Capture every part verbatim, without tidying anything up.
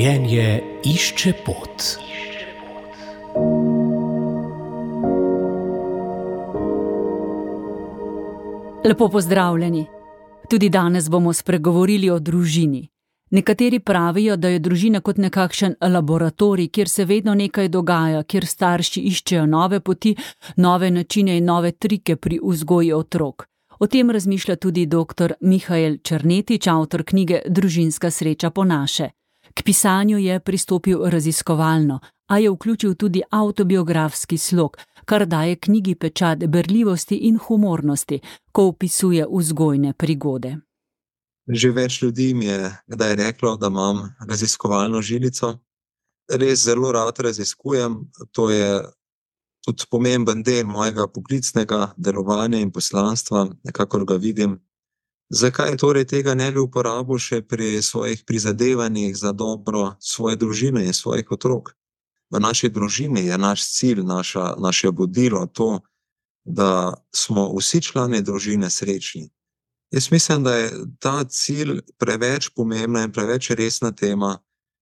Življenje išče pot. Lepo pozdravljeni. Tudi danes bomo spregovorili o družini. Nekateri pravijo, da je družina kot nekakšen laboratorij, kjer se vedno nekaj dogaja, kjer starši iščejo nove poti, nove načine in nove trike pri vzgoji otrok. O tem razmišlja tudi doktor Mihael Černetič, avtor knjige Družinska sreča po naše. K pisanju je pristopil raziskovalno, a je vključil tudi avtobiografski slog, kar daje knjigi pečat berljivosti in humornosti, ko opisuje vzgojne prigode. Že več ljudi mi je kdaj reklo, da imam raziskovalno žilico. Res zelo rad raziskujem, to je tudi pomemben del mojega poklicnega delovanja in poslanstva, kakor ga vidim. Zakaj torej tega ne bi uporabil še pri svojih prizadevanjih za dobro svoje družine in svojih otrok? V naši družini je naš cilj, naša, naše vodilo to, da smo vsi člani družine srečni. Jaz mislim, da je ta cilj preveč pomembna in preveč resna tema,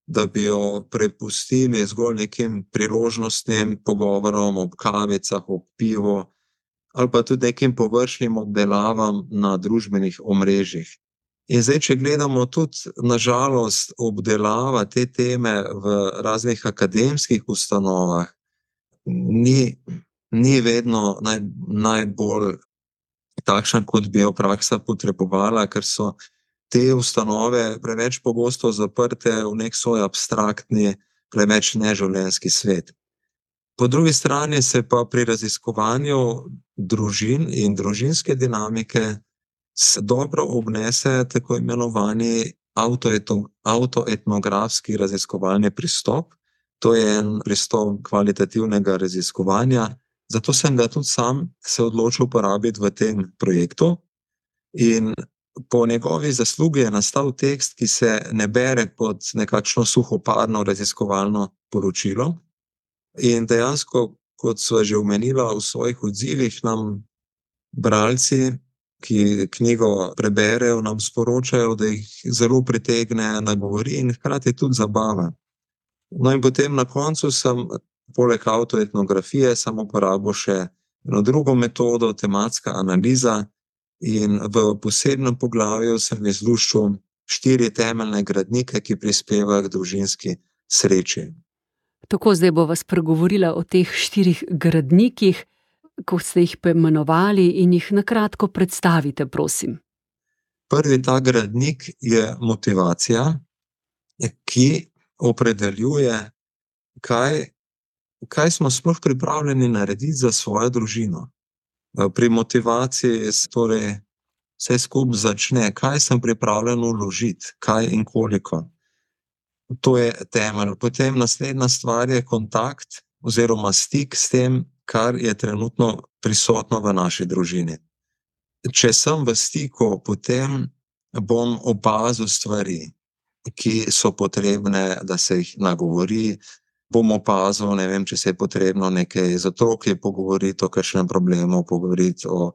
da bi jo prepustili zgolj nekim priložnostnim pogovorom ob kavicah, ob pivu, ali pa tudi nekim površnim obdelavam na družbenih omrežjih. In zdaj, če gledamo tudi, na žalost, obdelava te teme v raznih akademskih ustanovah, ni, ni vedno naj, najbolj takšna, kot bi jo praksa potrebovala, ker so te ustanove preveč pogosto zaprte v nek svoj abstraktni, preveč neživljenjski svet. Po drugi strani se pa pri raziskovanju družin in družinske dinamike se dobro obnese tako imenovani avtoetnografski raziskovalni pristop. To je en pristop kvalitativnega raziskovanja, zato sem ga tudi sam se odločil uporabiti v tem projektu. In po njegovi zaslugi je nastal tekst, ki se ne bere kot nekakšno suhoparno raziskovalno poročilo. In dejansko, kot so že omenila v svojih odzivih, nam bralci, ki knjigo preberejo, nam sporočajo, da jih zelo pritegne, nagovori in hkrati tudi zabava. No in potem na koncu sem poleg avtoetnografije sem uporabil še eno drugo metodo, tematska analiza, in v posebnem poglavju sem izluščil štiri temeljne gradnike, ki prispevajo k družinski sreči. Tako, zdaj bova spregovorila o teh štirih gradnikih, ko ste jih poimenovali, in jih na kratko predstavite, prosim. Prvi ta gradnik je motivacija, ki opredeljuje, kaj, kaj smo sploh pripravljeni narediti za svojo družino. Pri motivaciji torej vse skupaj začne, kaj sem pripravljen vložiti, kaj in koliko. To je temelj. Potem naslednja stvar je kontakt oziroma stik s tem, kar je trenutno prisotno v naši družini. Če sem v stiku, potem bom opazil stvari, ki so potrebne, da se jih nagovori. Bom opazil, ne vem, če se je potrebno nekaj z otroki pogovoriti, o kakšnem problemu pogovoriti, o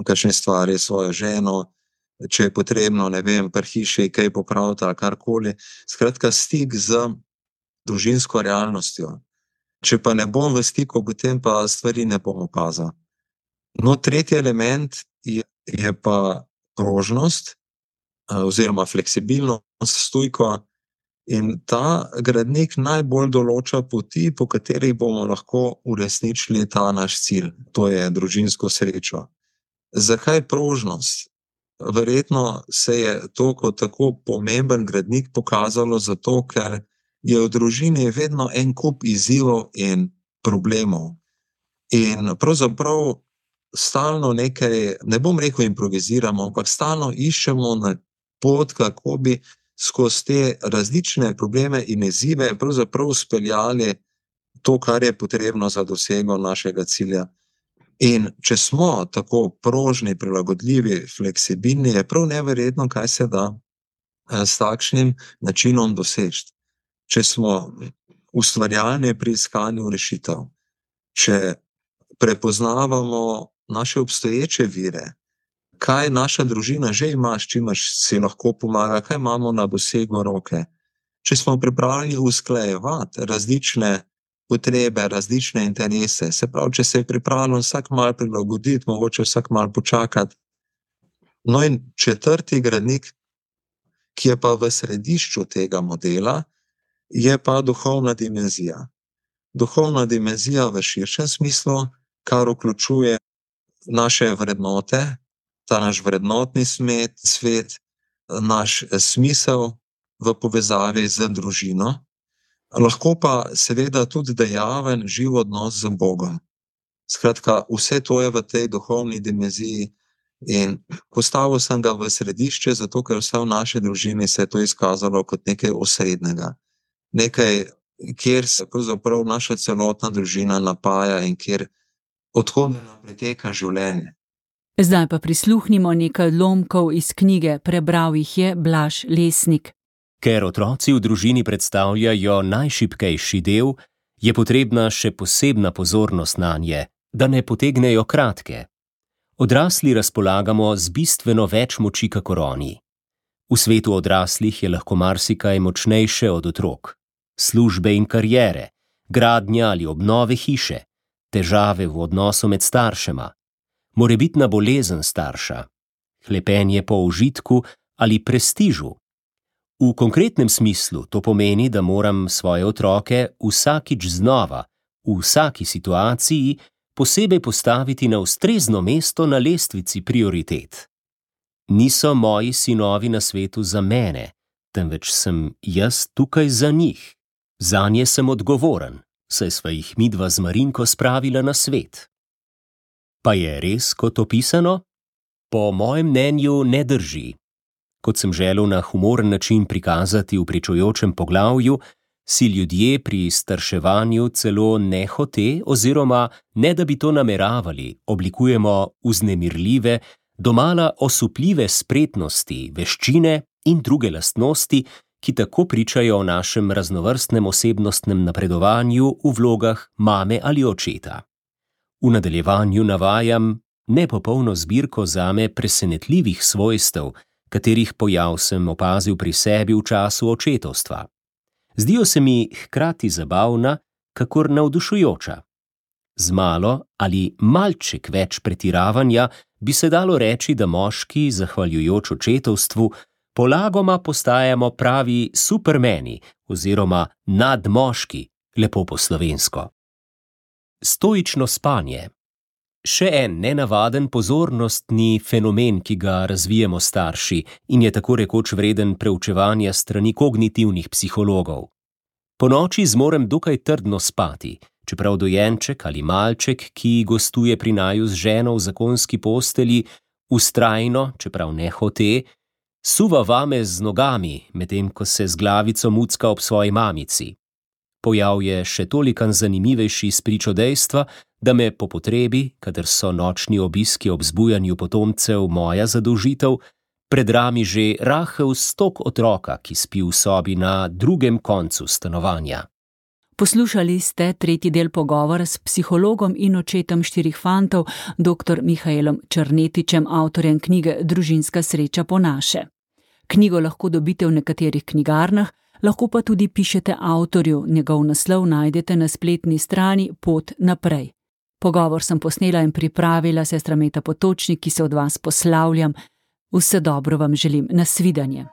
kakšni stvari s svojo ženo, če je potrebno, ne vem, pri hiši kaj popraviti ali karkoli. Skratka, stik z družinsko realnostjo. Če pa ne bom v stiku, potem pa stvari ne bom opazil. No, tretji element je, je pa prožnost oziroma fleksibilnost, stojko, in ta gradnik najbolj določa poti, po katerih bomo lahko uresničili ta naš cilj, to je družinsko srečo. Zakaj prožnost? Verjetno se je to kot tako pomemben gradnik pokazalo zato, ker je v družini vedno en kup izzivov in problemov. In pravzaprav stalno nekaj, ne bom rekel improviziramo, ampak stalno iščemo na pot, kako bi skozi te različne probleme in izzive pravzaprav speljali to, kar je potrebno za dosego našega cilja. In če smo tako prožni, prilagodljivi, fleksibilni, je prav neverjetno, kaj se da s takšnim načinom doseči. Če smo ustvarjalni pri iskanju rešitev, če prepoznavamo naše obstoječe vire, kaj naša družina že ima, s čimer si lahko pomaga, kaj imamo na dosegu roke, če smo pripravljeni usklajevati različne potrebe, različne interese, se pravi, če se je pripravljen vsak malo prilagoditi, mogoče vsak malo počakati. No in četrti gradnik, ki je pa v središču tega modela, je pa duhovna dimenzija. Duhovna dimenzija v širšem smislu, kar vključuje naše vrednote, ta naš vrednotni smet, svet, naš smisel v povezavi z družino, lahko pa seveda tudi dejaven živ odnos z Bogom. Skratka, vse to je v tej duhovni dimenziji in postavil sem ga v središče, zato ker vse v naši družini se je to izkazalo kot nekaj osrednjega. Nekaj, kjer se pravzaprav naša celotna družina napaja in kjer odhodno preteka življenje. Zdaj pa prisluhnimo nekaj odlomkov iz knjige, prebral jih je Blaž Lesnik. Ker otroci v družini predstavljajo najšibkejši del, je potrebna še posebna pozornost nanje, da ne potegnejo kratke. Odrasli razpolagamo z bistveno več moči kakor oni. V svetu odraslih je lahko marsikaj močnejše od otrok. Službe in kariere, gradnja ali obnove hiše, težave v odnosu med staršema, morebitna bolezen starša, hlepenje po užitku ali prestižu. V konkretnem smislu to pomeni, da moram svoje otroke vsakič znova, v vsaki situaciji, posebej postaviti na ustrezno mesto na lestvici prioritet. Niso moji sinovi na svetu za mene, temveč sem jaz tukaj za njih. Zanje sem odgovoren, saj sva jih midva z Marinko spravila na svet. Pa je res kot opisano? Po mojem mnenju ne drži. Kot sem želel na humoren način prikazati v pričujočem poglavju, si ljudje pri starševanju celo nehote oziroma ne da bi to nameravali, oblikujemo vznemirljive, domala osupljive spretnosti, veščine in druge lastnosti, ki tako pričajo o našem raznovrstnem osebnostnem napredovanju v vlogah mame ali očeta. V nadaljevanju navajam nepopolno zbirko zame presenetljivih svojstev, katerih pojav sem opazil pri sebi v času očetovstva. Zdijo se mi hkrati zabavna, kakor navdušujoča. Z malo ali malček več pretiravanja bi se dalo reči, da moški, zahvaljujoč očetovstvu, polagoma postajamo pravi supermeni oziroma nadmoški, lepo po slovensko. Stoično spanje. Še en nenavaden pozornostni fenomen, ki ga razvijemo starši in je tako rekoč vreden preučevanja strani kognitivnih psihologov. Ponoči zmorem dokaj trdno spati, čeprav dojenček ali malček, ki gostuje pri naju z ženo v zakonski postelji, vztrajno, čeprav ne hote, suva vame z nogami, medtem ko se z glavico mucka ob svoji mamici. Pojav je še tolikan zanimivejši spričo dejstva, da me po potrebi, kadar so nočni obiski ob zbujanju potomcev moja zadolžitev, predrami že rahel stok otroka, ki spi v sobi na drugem koncu stanovanja. Poslušali ste tretji del pogovora s psihologom in očetom štirih fantov, doktor Mihaelom Črnetičem, avtorjem knjige Družinska sreča po naše. Knjigo lahko dobite v nekaterih knjigarnah, lahko pa tudi pišete avtorju, njegov naslov najdete na spletni strani Pot naprej. Pogovor sem posnela in pripravila sestra Meta Potočnik, ki se od vas poslavljam. Vse dobro vam želim, nasvidenje.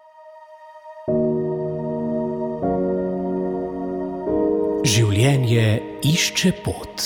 Življenje išče pot.